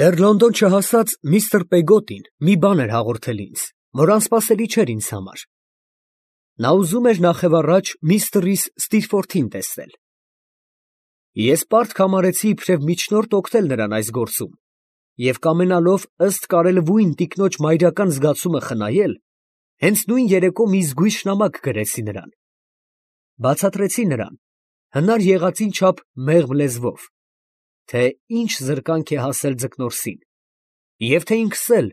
Դեռ Լոնդոն չհասած միստր Պեգոտին մի բան էր հաղորդել ինձ, որ անսպասելի չէր ինձ համար. նա ուզում էր նախևառաջ միստր Ստիրֆորթին տեսնել։ Ես պարտք համարեցի իբրև միջնորդ օգնել նրան այս գործում և կամենալով ըստ կարելվույն տիկնոջ մայրական զգացումը խնայել, հենց նույն երեկո մի զգույշ նամակ գրեցի նրան, բացատրեցի նրան, հնար եղածին չափ մեղմ լեզվով, թե ինչ զրկանք է հասել Ձկնորսին, և թե ինքս էլ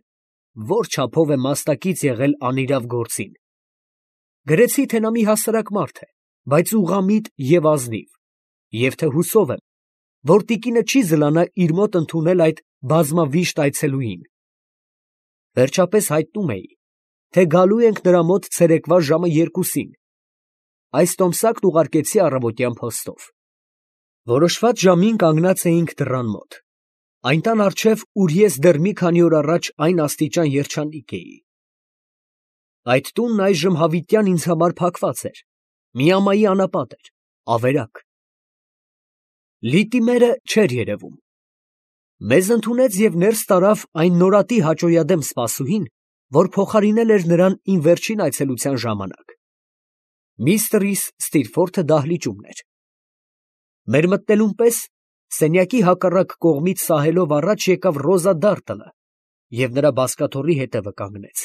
որ չափով է մասնակից եղել անիրավ գործին։ Գրեցի, թե նա մի հասարակ մարդ է, բայց ուղղամիտ և ազնիվ, և թե հուսով եմ, որ տիկինը չի զլանա իր մոտ ընդունել այդ բազմավիշտ այցելուին։ Վերջապես հայտնում էի, թե գալու ենք նրա մոտ ցերեկվա ժամը 2-ին։ Այս տոմսակն ուղարկեցի առավոտյան փոստով։ Որոշված ժամին կանգնած էինք դռան մոտ, այն տան առջև, ուր ես դեռ մի քանի օր առաջ այն աստիճան երջանիկ էի։ Այդ տունն այժմ հավիտյան ինձ համար փակված էր, միամայի անապատ էր, ավերակ։ Լիտիմերը չէր երևում։ Մեզ ընդունեց և ներս տարավ այն նորատի հաճոյադեմ սպասուհին, որ փոխարինել էր նրան իմ վերջին այցելության ժամանակ։ Միստր Ստիրֆորթը դահլիճումն էր։ Մեր մտնելուն պես սենյակի հակառակ կողմից սահելով առաջ եկավ Ռոզա Դարտլը և նրա բազկաթոռի հետևը կանգնեց։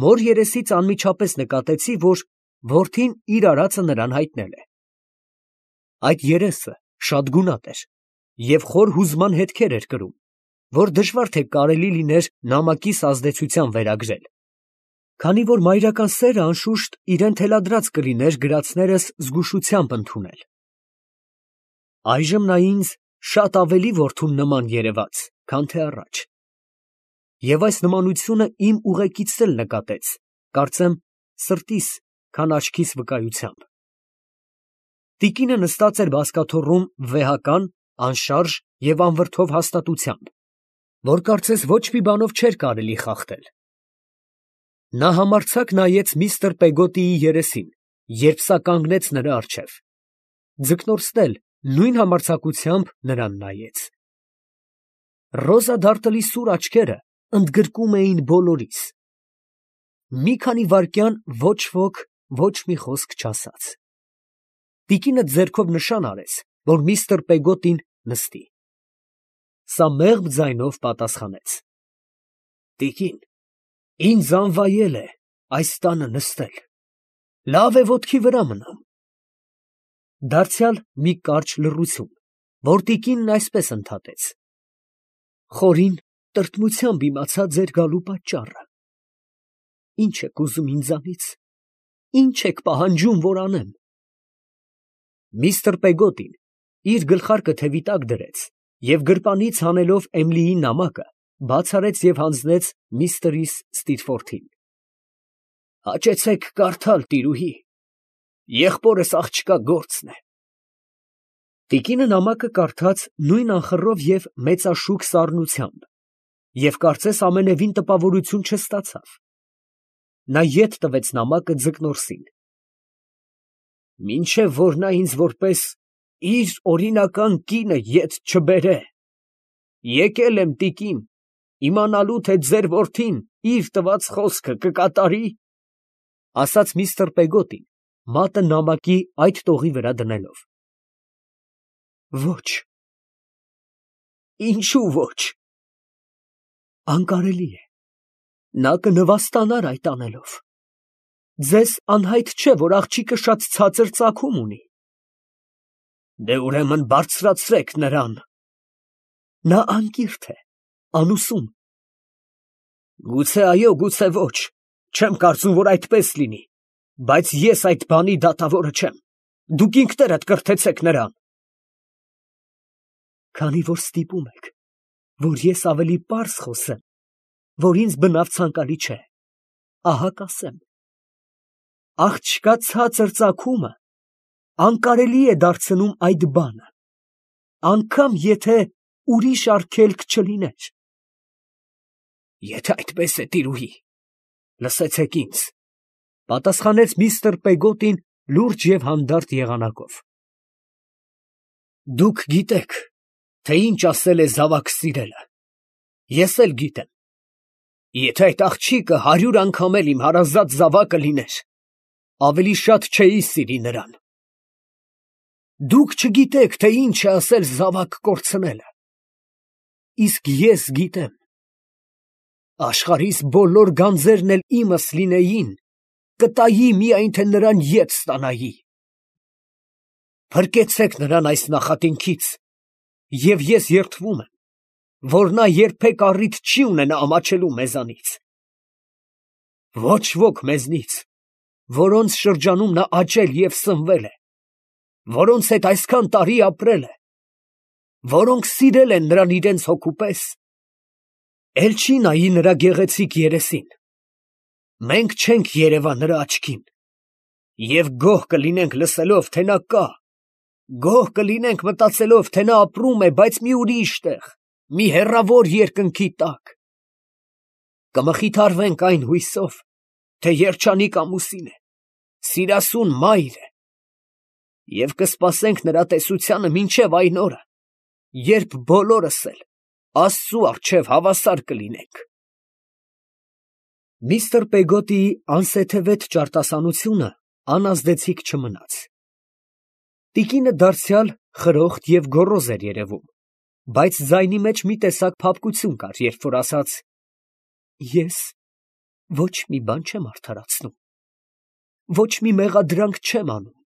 Մոր երեսից անմիջապես նկատեցի, որ որդին իր արածը նրան հայտնել է։ Այդ երեսը շատ գունատ էր և խոր հուզման հետքեր էր կրում, որ դժվար թե կարելի լիներ նամակիս ազդեցության վերագրել, քանի որ մայրական սերը անշուշտ իրան թելադրած կլիներ գրածներս զգուշությամբ ընդունել։ Այժմ նա ինձ շատ ավելի որդուն նման երևաց, քան թե առաջ, և այս նմանությունը իմ ուղեկիցն էլ նկատեց, կարծեմ սրտիս, քան աչքիս վկայությամբ։ Տիկինը նստած էր բազկաթոռում վեհական, անշարժ և անվրդով հաստատությամբ, որ կարծես ոչ մի բանով չէր կարելի խախտել։ Նա համարձակ նայեց միստր Պեգոտիի երեսին, երբ սա կանգնեց նրա առջև։ Ձկնորսն էլ նույն համարձակությամբ նրան նայեց։ Ռոզա Դարտլի սուր աչքերը ընդգրկում էին բոլորիս։ Մի քանի վայրկյան ոչ ոք ոչ մի խոսք չասաց։ Տիկինը ձեռքով նշան արեց, որ միստր Պեգոտին նստի։ Սա մեղմ ձայնով պատասխանեց. տիկին, ինձ անվայել է այս տանը նստել, լավ է ոտքի վրա մնամ։ Դարձյալ մի կարճ լռություն, որ տիկինն այսպես ընդհատեց. խորին տրտմությամբ իմացա ձեր գալու պատճառը։ Ինչ եք ուզում ինձանից, ինչ եք պահանջում, որ անեմ։ Միստր Պեգոտին իր գլխարկը թևի տակ դրեց և գրպանից հանելով Էմիլիի նամակը, բաց արեց և հանձնեց միստր Ստիրֆորթին։ Հաճեցեք կարդալ, տիրուհի, եղբորս աղջկա գործն է։ Տիկինը նամակը կարդաց նույն անխռով և մեծաշուք սառնությամբ և կարծես ամենևին տպավորություն չստացավ։ Նա ետ տվեց նամակը Ձկնորսին։ Մինչև որ նա ինձ որպես իր օրինական կինը ետ չբերե, եկել եմ, տիկին, իմանալու, թե ձեր որդին իր տված խոսքը կկատարի, ֊ ասաց միստր Պեգոտին, մատը նամակի այդ տողի վրա դնելով։ Ոչ։ Ինչո՞ւ ոչ։ Անկարելի է, նա կնվաստանար այդ անելով։ Ձեզ անհայտ չէ, որ աղջիկը շատ ցածր ծագում ունի։ Դե ուրեմն բարձրացրեք նրան։ Նա անկիրթ է, անուսում։ Գուցե այո, գուցե ոչ, չեմ կարծում, որ այդպես լինի, բայց ես այդ բանի դատավորը չեմ, դուք ինքներդ կրթեցեք նրան։ Քանի որ ստիպում եք, որ ես ավելի պարզ խոսեմ, որ ինձ բնավ ցանկալի չէ, ահա կասեմ. աղջկա ցածր ծագումը անկարելի է դարձնում այդ բանը, անգամ եթե ուրիշ արգելք չլիներ։ Եթե այդպես է, տիրուհի, լսեցեք ինձ, ֊ պատասխանեց միստր Պեգոտին լուրջ և հանդարտ եղանակով։ Դուք գիտեք, թե ինչ ասել է զավակ սիրելը։ Ես էլ գիտեմ։ Եթե այդ աղջիկը 100 անգամ էլ իմ հարազատ զավակը լիներ, ավելի շատ չէի սիրի նրան։ Դուք չգիտեք, թե ինչ է ասել զավակ կորցնելը։ Իսկ ես գիտեմ։ Աշխարհիս բոլոր գանձերն էլ իմս լինեին, կտայի միայն թե նրան ետ ստանայի։ Փրկեցեք նրան այս նախատինքից, և ես երդվում եմ, որ նա երբեք առիթ չի ունենա ամաչելու մեզանից։ Ոչ ոք մեզնից, որոնց շրջանում նա աճել և սնվել է, որոնց հետ այսքան տարի ապրել է, որոնք սիրել են նրան իրենց հոգու պես, էլ չի նայի նրա գեղեցիկ երեսին։ Մենք չենք երևա նրա աչքին, և գոհ կլինենք լսելով, թե նա կա, գոհ կլինենք մտածելով, թե նա ապրում է, բայց մի ուրիշ տեղ, մի հեռավոր երկնքի տակ։ Կմխիթարվենք այն հույսով, թե երջանիկ ամուսին է, սիրասուն մայր է, և կսպասենք նրա տեսությանը մինչև այն օրը, երբ բոլորս էլ Աստծու առջև հավասար կլինենք։ Միստր Պեգոտիի անսեթևետ ճարտասանությունը անազդեցիկ չմնաց։ Տիկինը դարձյալ խրոխտ և գոռոզ էր երևում, բայց ձայնի մեջ մի տեսակ փափկություն կար, երբ որ ասաց. Ես ոչ մի բան չեմ արդարացնում, ոչ մի մեղադրանք չեմ անում,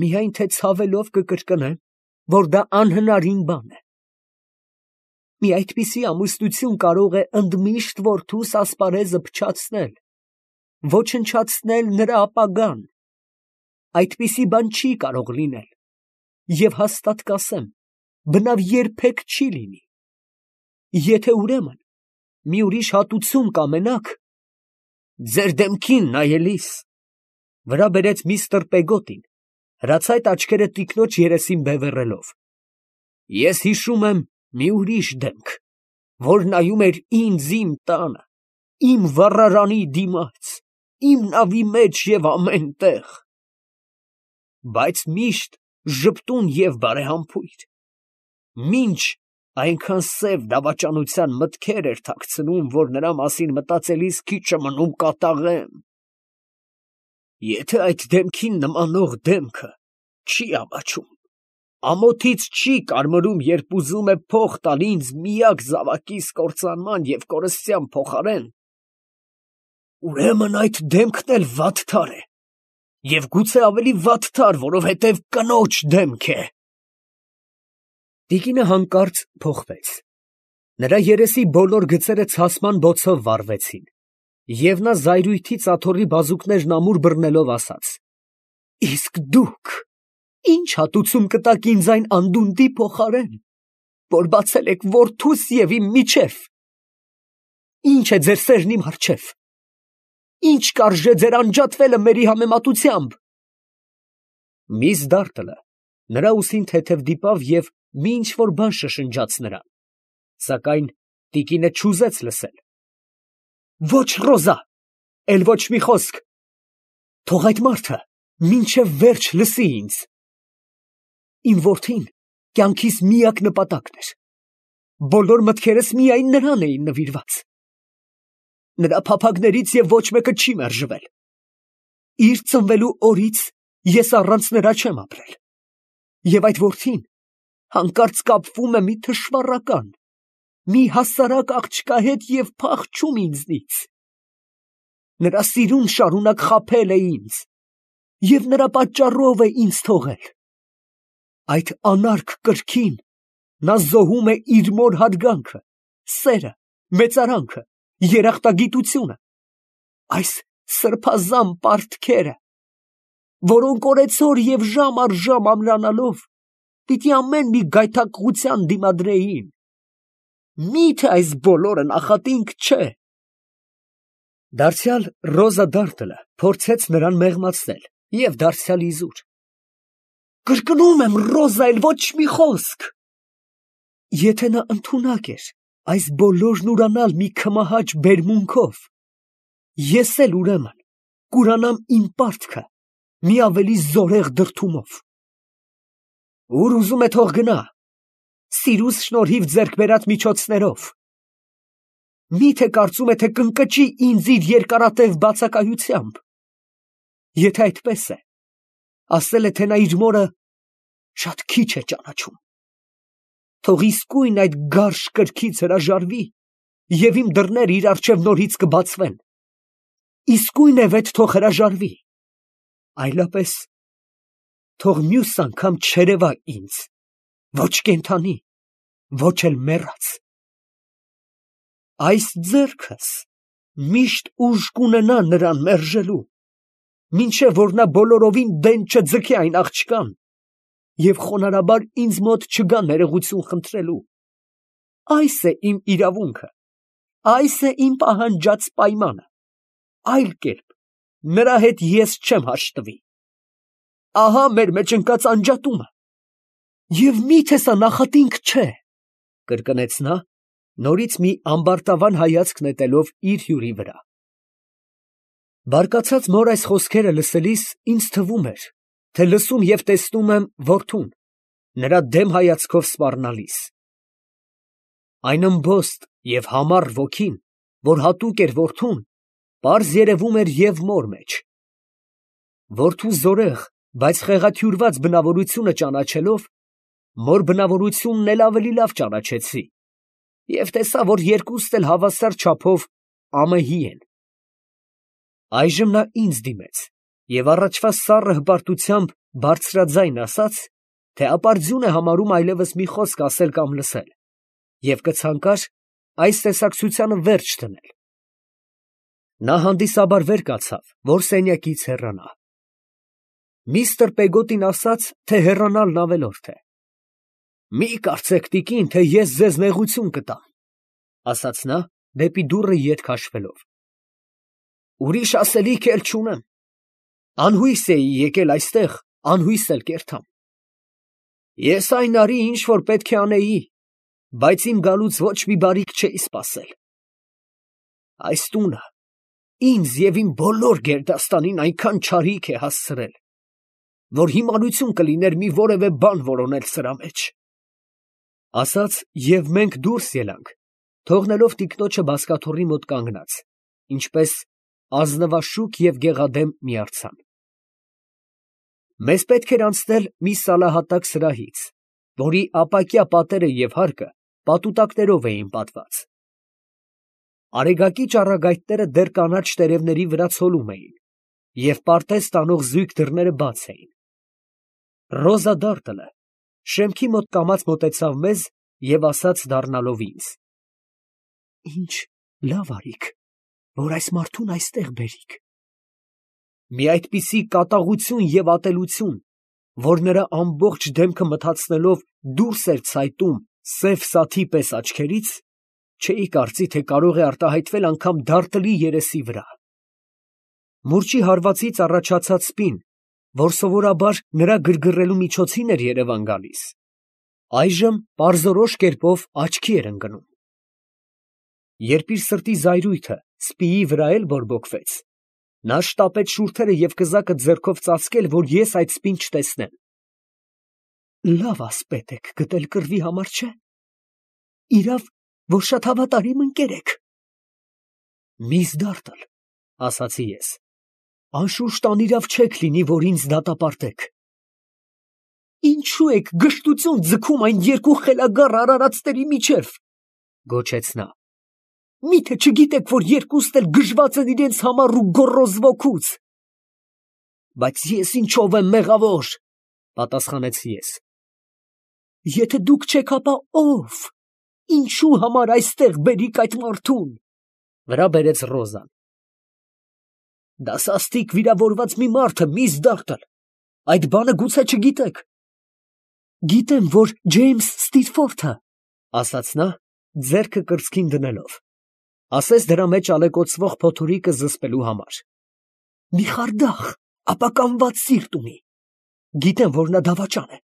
միայն թե ցավելով կկրկնեմ, որ դա անհնարին բան է։ Մի այդպիսի ամուսնություն կարող է ընդմիշտ որդուս ասպարեզը փչացնել, ոչնչացնել նրա ապագան։ Այդպիսի բան չի կարող լինել, և հաստատ կասեմ, բնավ երբեք չի լինի։ Եթե ուրեմն մի ուրիշ հատուցում կամենաք, ձեր դեմքին նայելիս, վրա բերեց միստր Պեգոտին, հրացայտ աչքերը տիկնոջ երեսին բևեռելով, ես հիշում եմ մի ուրիշ դեմք, որ նայում էր ինձ իմ տանը, իմ վառարանի դիմաց, իմ նավի մեջ և ամեն տեղ, բայց միշտ ժպտուն և բարեհամբույր, մինչ այնքան սև դավաճանության մտքեր էր թաքցնում, որ նրա մասին մտածելիս քիչ է մնում կատաղեմ։ Եթե այդ դեմքին նմանող դեմքը չի ամաչում, ամոթից չի կարմրում, երբ ուզում է փող տալ ինձ միակ զավակիս կործանման և կորստյան փոխարեն, ուրեմն այդ դեմքն էլ վատթար է, և գուցե ավելի վատթար, որովհետև կնոջ դեմք է։ Տիկինը հանկարծ փոխվեց։ Նրա երեսի բոլոր գծերը ցասման բոցով վառվեցին, և նա զայրույթից աթոռի բազուկներն ամուր բռնելով ասաց. Իսկ դուք ի՞նչ հատուցում կտաք ինձ այն անդունդի փոխարեն, որ բացել եք որդուս և իմ միջև։ Ի՞նչ է ձեր սերն իմ առջև։ Ի՞նչ կարժե ձեր անջատվելը մերի համեմատությամբ։ Միս Դարտլը նրա ուսին թեթև դիպավ և մի ինչ֊որ բան շշնջաց նրան, սակայն տիկինը չուզեց լսել։ Ոչ, Ռոզա, էլ ոչ մի խոսք, թող այդ մարդը մինչև վերջ լսի ինձ։ Իմ որդին կյանքիս միակ նպատակն էր, բոլոր մտքերս միայն նրան էին նվիրված։ Նրա փափագներից և ոչ մեկը չի մերժվել։ Իր ծնվելու օրից ես առանց նրա չեմ ապրել, և այդ որդին հանկարծ կապվում է մի թշվառական, մի հասարակ աղջկա հետ և փախչում ինձնից։ Նրա սիրուն շարունակ խաբել է ինձ, և նրա պատճառով է ինձ թողել։ Այդ անարգ կրքին նա զոհում է իր մոր հարգանքը, սերը, մեծարանքը, երախտագիտությունը, այս սրբազան պարտքերը, որոնք օրեցօր և ժամ առ ժամ ամրանալով պիտի ամեն մի գայթակղության դիմադրեին։ Մի՞թե այս բոլորը նախատինք չէ։ Դարձյալ Ռոզա Դարտլը փորձեց նրան մեղմացնել և դարձյալ իզուր։ Կրկնում եմ, Ռոզա, էլ ոչ մի խոսք։ Եթե նա ընդունակ էր այս բոլորն ուրանալ մի քմահաճ բերմունքով, ես էլ ուրեմն կուրանամ իմ պարտքը մի ավելի զորեղ դրդումով։ Ուր ուզում է թող գնա, սիրուս շնորհիվ ձեռք բերած միջոցներով։ Միթե կարծում է, թե կընկճի ինձ իր երկարատև բացակայությամբ։ Եթե այդպես է, ասել է, թե նա իր մորը շատ քիչ է ճանաչում։ Թող իսկույն այդ գարշ կրքից հրաժարվի, և իմ դռները իր առջև նորից կբացվեն։ Իսկույն է վեթ թող հրաժարվի, այլապես թող մյուս անգամ չերևա ինձ, ոչ կենդանի, ոչ էլ մեռած։ Այս ձեռքս միշտ ուժ կունենա նրան մերժելու, մինչև որ նա բոլորովին դեն չձգի այն աղջկան և խոնարհաբար ինձ մոտ չգա ներողություն խնդրելու։ Այս է իմ իրավունքը, այս է իմ պահանջած պայմանը, այլ կերպ նրա հետ ես չեմ հաշտվի։ Ահա մեր մեջ ընկած անջատումը։ Եվ միթե սա նախատինք չէ, կրկնեց նա, նորից մի ամբարտավան հայացք նետելով իր հյուրի վրա։ Բարկացած մոր այս խոսքերը լսելիս ինձ թվում էր, թե լսում և տեսնում եմ որդուն, նրա դեմ հայացքով սպառնալիս։ Այն ըմբոստ և համառ ոգին, որ հատուկ էր որդուն, պարզ երևում էր և մոր մեջ։ Որդու զորեղ, բայց խեղաթյուրված բնավորությունը ճանաչելով, մոր բնավորությունն էլ ավելի լավ ճանաչեցի և տեսա, որ երկուստ էլ հավասար չափով ԱՄՀ են։ Այժմ նա ինձ դիմեց և առաջվա սառը հպարտությամբ բարձրաձայն ասաց, թե ապարդյուն է համարում այլևս մի խոսք ասել կամ լսել և կցանկար այս տեսակցությանը վերջ դնել։ Նա հանդիսաբար վեր կացավ, որ սենյակից հեռանա։ Միստր Պեգոտին ասաց, թե հեռանալն ավելորդ է։ Մի կարծեք, տիկին, թե ես ձեզ նեղություն կտամ, ասաց նա, դեպի դուռը ետ քաշվելով։ Ուրիշ ասելիք էլ չունեմ։ Անհույս էի եկել այստեղ, անհույս էլ կերթամ։ Ես այն արի, ինչ որ պետք է անեի, բայց իմ գալուց ոչ մի բարիք չէի սպասել։ Այս տունը ինձ և իմ բոլոր գերդաստանին այնքան չարիք է հասցրել, որ հիմարություն կլիներ մի որևէ բան որոնել սրա մեջ։ Ասաց, և մենք դուրս ելանք, թողնելով տիկնոջը բազկաթոռի մոտ կանգնած, ինչպես ազնվաշուք և գեղադեմ մի արձան։ Մեզ պետք էր անցնել մի սալահատակ սրահից, որի ապակյա պատերը և հարկը պատուտակներով էին պատված։ Արեգակի ճառագայթները դեռ կանաչ տերևների վրա ցոլում էին, և պարտեզ տանող զույգ դռները բաց էին։ Ռոզա Դարտլը շեմքի մոտ կամաց մոտեցավ մեզ և ասաց դառնալով ինձ. Ինչ լավ արիք, որ այս մարդուն այստեղ բերիք։ Մի այդպիսի կատաղություն և ատելություն, որ նրա ամբողջ դեմքը մթացնելով դուրս էր ցայտում սև սաթի պես աչքերից, չէի կարծի, թե կարող է արտահայտվել անգամ Դարտլի երեսի վրա։ Մուրճի հարվածից առաջացած սպին, որ սովորաբար նրա գրգռելու միջոցին էր երևան գալիս, այժմ պարզորոշ կերպով աչքի էր ընկնում։ Երբ իր սրտի զայրույթը սպիի վրա էլ բորբոքվեց, նա շտապեց շուրթերը և կզակը ձեռքով ծածկել, որ ես այդ սպին չտեսնեմ։ Լավ ասպետ եք գտել կռվի համար, չէ՞։ Իրավ, որ շատ հավատարիմ ընկեր եք։ Միս Դարտլ, ասացի ես, անշուշտ անիրավ չեք լինի, որ ինձ դատապարտեք։ Ինչու եք գժտություն ձգում այն երկու խելագար արարածների միջև, գոչեց նա։ Միթե չգիտեք, որ երկուստ էլ գժված են իրենց համառ ու գոռոզ ոգուց։ Բայց ես ինչով եմ մեղավոր, պատասխանեցի ես։ Եթե դուք չեք, ապա ո՞վ։ Ինչու համար այստեղ բերիք այդ մարդուն, վրա բերեց Ռոզան։ Դա սաստիկ վիրավորված մի մարդ է, միս Դարտլ, այդ բանը գուցե չգիտեք։ Գիտեմ, որ Ջեյմս Ստիթֆորդը, ասաց նա, ձեռքը կրծքին դնելով, ասես դրա մեջ ալեկոծվող փոթորիկը զսպելու համար, մի խարդախ, ապականված սիրտ ունի։ Գիտեմ, որ նա դավաճան է։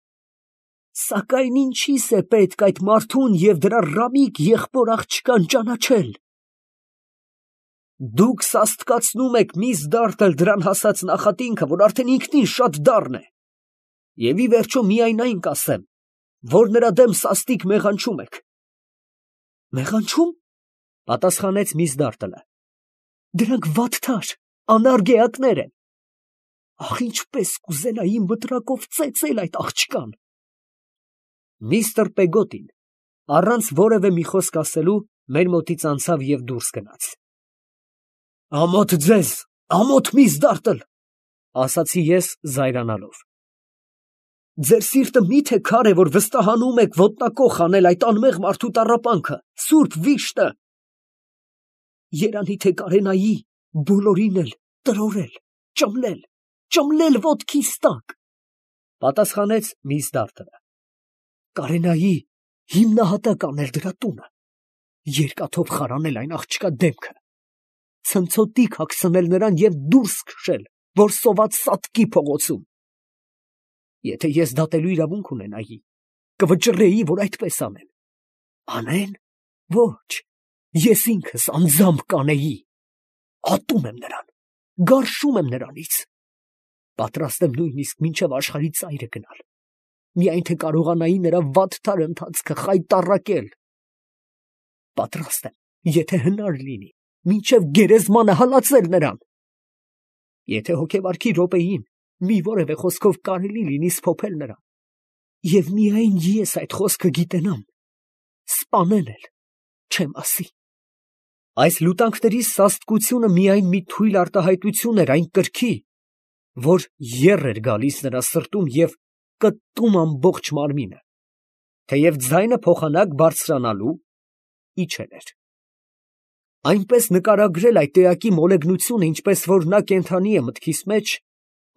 Սակայն ինչի՞ս է պետք այդ մարդուն և դրա ռամիկ եղբոր աղջկան ճանաչել։ Դուք սաստկացնում եք միս Դարտլ դրան հասած նախատինքը, որ արդեն ինքնին շատ դառն է։ Եվ ի վերջո միայն այն կասեմ, որ նրա դեմ սաստիկ մեղանչում եք։ Մեղանչում, պատասխանեց միս Դարտլը, դրանք վատթար, անարգ էակներ են։ Ախ, ինչպես կուզենայի մտրակով ծեծել այդ աղջկան։ Միստր Պեգոտին, առանց որևէ մի խոսք ասելու, մեր մոտից անցավ և դուրս գնաց։ Ամոթ ձեզ, ամոթ միս Դարտլ, ասացի ես զայրանալով։ Ձեր սիրտը միթե քար է, որ վստահանում եք ոտնակոխ անել այդ անմեղ մարդու տառապանքը, սուրբ վիշտը։ Երանի թե կարենայի բոլորին էլ տրորել, ճմլել ոտքիս տակ, պատասխանեց միս Դարտլը։ Կարենայի հիմնահատակ անել դրա տունը, երկաթով խարանել այն աղջկա դեմքը, ցնցոտիկ հագցնել նրան և դուրս քշել, որ սոված սատկի փողոցում։ Եթե ես դատելու իրավունք ունենայի, կվճռեի, որ այդպես անեն։ Անեն։ Ոչ, ես ինքս անձամբ կանեի։ Ատում եմ նրան, գարշում եմ նրանից։ Պատրաստ եմ նույնիսկ մինչև աշխարհի ծայրը գնալ, միայն թե կարողանայի նրա վատթար ընթացքը խայտառակել։ Պատրաստ եմ, եթե հնար լինի, մինչև գերեզմանը հալածել նրան։ Եթե հոգեվարքի րոպեին մի որևէ խոսքով կարելի լինի սփոփել նրան, և միայն ես այդ խոսքը գիտենամ, սպանել էլ չեմ ասի։ Այս լուտանքների սաստկությունը միայն մի թույլ արտահայտություն էր այն կրքի, որ եռ էր գալիս նրա սրտում և կտում ամբողջ մարմինը, թեև ձայնը փոխանակ բարձրանալու իջել էր։ Այնպես նկարագրել այդ էակի մոլեգնությունը, ինչպես որ նա կենդանի է մտքիս մեջ,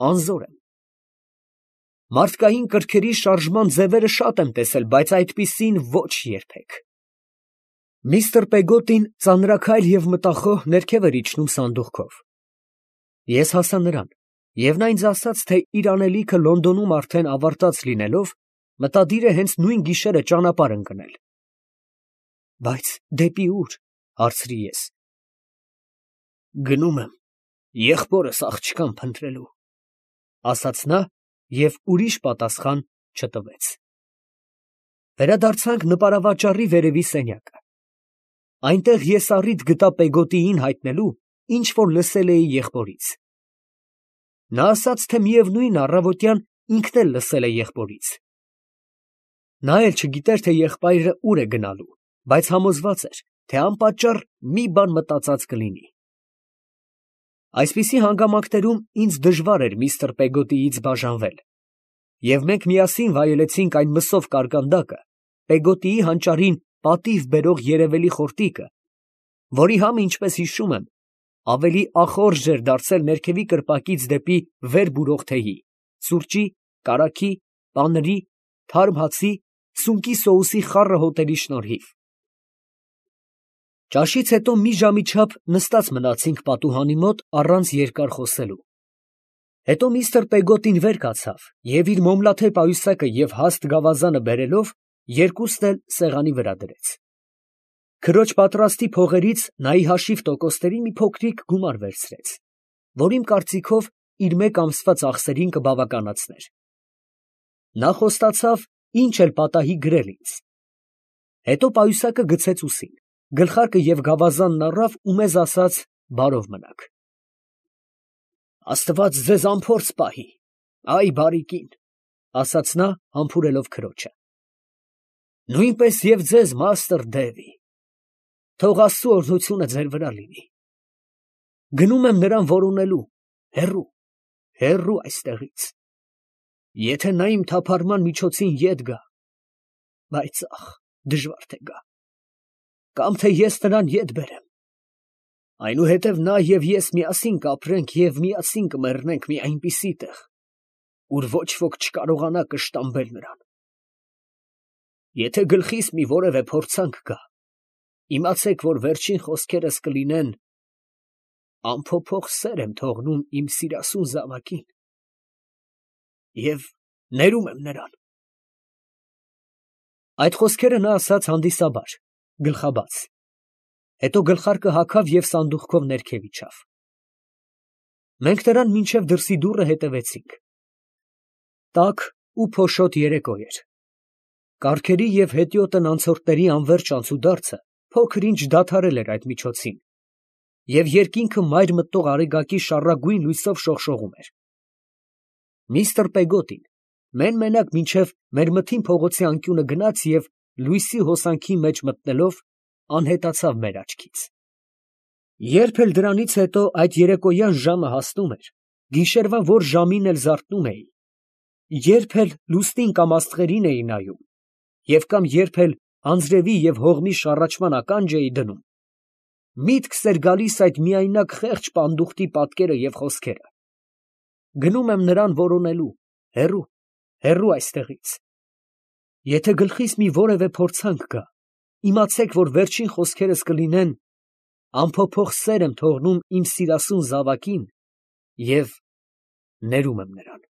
անզոր եմ։ Մարդկային կրքերի շարժման ձևերը շատ եմ տեսել, բայց այդպիսին ոչ երբեք։ Միստր Պեգոտին ծանրաքայլ և մտախոհ ներքև էր իջնում սանդուղքով։ Ես հասա նրան, և նա ինձ ասաց, թե իր անելիքը Լոնդոնում արդեն ավարտած լինելով, մտադիր է հենց նույն գիշերը ճանապարհ ընկնել։ Բայց դեպի ո՞ւր, հարցրի ես։ Գնում եմ եղբորս աղջկան փնտրելու, ասաց նա և ուրիշ պատասխան չտվեց։ Վերադարձանք նպարավաճառի վերևի սենյակը։ Այնտեղ ես առիթ գտա Պեգոտիին հայտնելու, ինչ որ լսել էի եղբորից։ Նա ասաց, թե միևնույն է, առավոտյան ինքն էլ լսել է եղբորից։ Նա էլ չգիտեր, թե եղբայրը ուր է գնալու, բայց համոզված էր, թե անպատճառ մի բան մտածած կլինի։ Այսպիսի հանգամանքներում ինձ դժվար էր միստր Պեգոտիից բաժանվել, և մենք միասին վայելեցինք այն մսով կարկանդակը, Պեգոտիի հանճարին պատիվ բերող երևելի խորտիկը, որի համը, ինչպես հիշում եմ, ավելի ախորժ էր դարձել ներքևի կրպակից դեպի վեր բուրող թեյի, սուրճի, կարագի, պանրի, թարմ հացի, սունկի սոուսի խառը հոտերի շնորհիվ։ Ճաշից հետո մի ժամի չափ նստած մնացինք պատուհանի մոտ առանց երկար խոսելու։ Հետո միստր Պեգոտին վեր կացավ և իր մոմլաթե պայուսակը և հաստ գավազանը բերելով երկուսն էլ սեղանի վրա դրեց։ Քրոջ պատրաստի փողերից նա ի հաշիվ տոկոսների մի փոքրիկ գումար վերցրեց, որ իմ կարծիքով իր մեկ ամսվա ծախսերին կբավականացներ։ Նա խոստացավ ինչ էլ պատահի գրել ինձ։ Հետո պայուսակը գցեց ուսին, գլխարկը և գավազանն առավ ու մեզ ասաց. «Բարով մնաք»։ Աստված ձեզ անփորձ պահի, այ բարի կին, ասաց նա համբուրելով քրոջը։ Նույնպես և ձեզ, մաստր Դևի, թող Աստծու օրհնությունը ձեր վրա լինի։ Գնում եմ նրան որոնելու, հեռու այստեղից։ Եթե նա իմ թափառման միջոցին ետ գա, բայց ախ, դժվար թե գա, կամ թե ես նրան ետ բերեմ, այնուհետև նա և ես միասին կապրենք և միասին կմեռնենք մի այնպիսի տեղ, ուր ոչ ոք չկարողանա կշտամբել նրան։ Եթե գլխիս մի որևէ փորձանք գա, իմացեք, որ վերջին խոսքերս կլինեն. անփոփոխ սեր եմ թողնում իմ սիրասուն զավակին և ներում եմ նրան։ Այդ խոսքերը նա ասաց հանդիսաբար, գլխաբաց, հետո գլխարկը հագավ և սանդուղքով ներքև իջավ։ Մենք նրան մինչև դրսի դուռը հետևեցինք։ Տաք ու փոշոտ երեկո էր։ Կառքերի և հետիոտն անցորդների անվերջ անցուդարձը փոքր-ինչ դադարել էր այդ միջոցին, և երկինքը մայր մտնող արեգակի շառագույն լույսով շողշողում էր։ Միստր Պեգոտին մեն֊մենակ մինչև մեր մթին փողոցի անկյունը գնաց և, լույսի հոսանքի մեջ մտնելով, անհետացավ մեր աչքից։ Երբ էլ դրանից հետո այդ երեկոյան ժամը հասնում էր, գիշերվա որ ժամին էլ զարթնում էի, երբ էլ լուսնին կամ աստղերին էի նայում, և կամ երբ էլ անձրևի և հողմի շառաչման ականջ էի դնում, միտքս էր գալիս այդ միայնակ խեղճ պանդուխտի պատկերը և խոսքերը. «Գնում եմ նրան որոնելու, հեռու, հեռու այստեղից։ Եթե գլխիս մի որևէ փորձանք գա, իմացեք, որ վերջին խոսքերս կլինեն. անփոփոխ սեր եմ թողնում իմ սիրասուն զավակին և ներում եմ նրան»։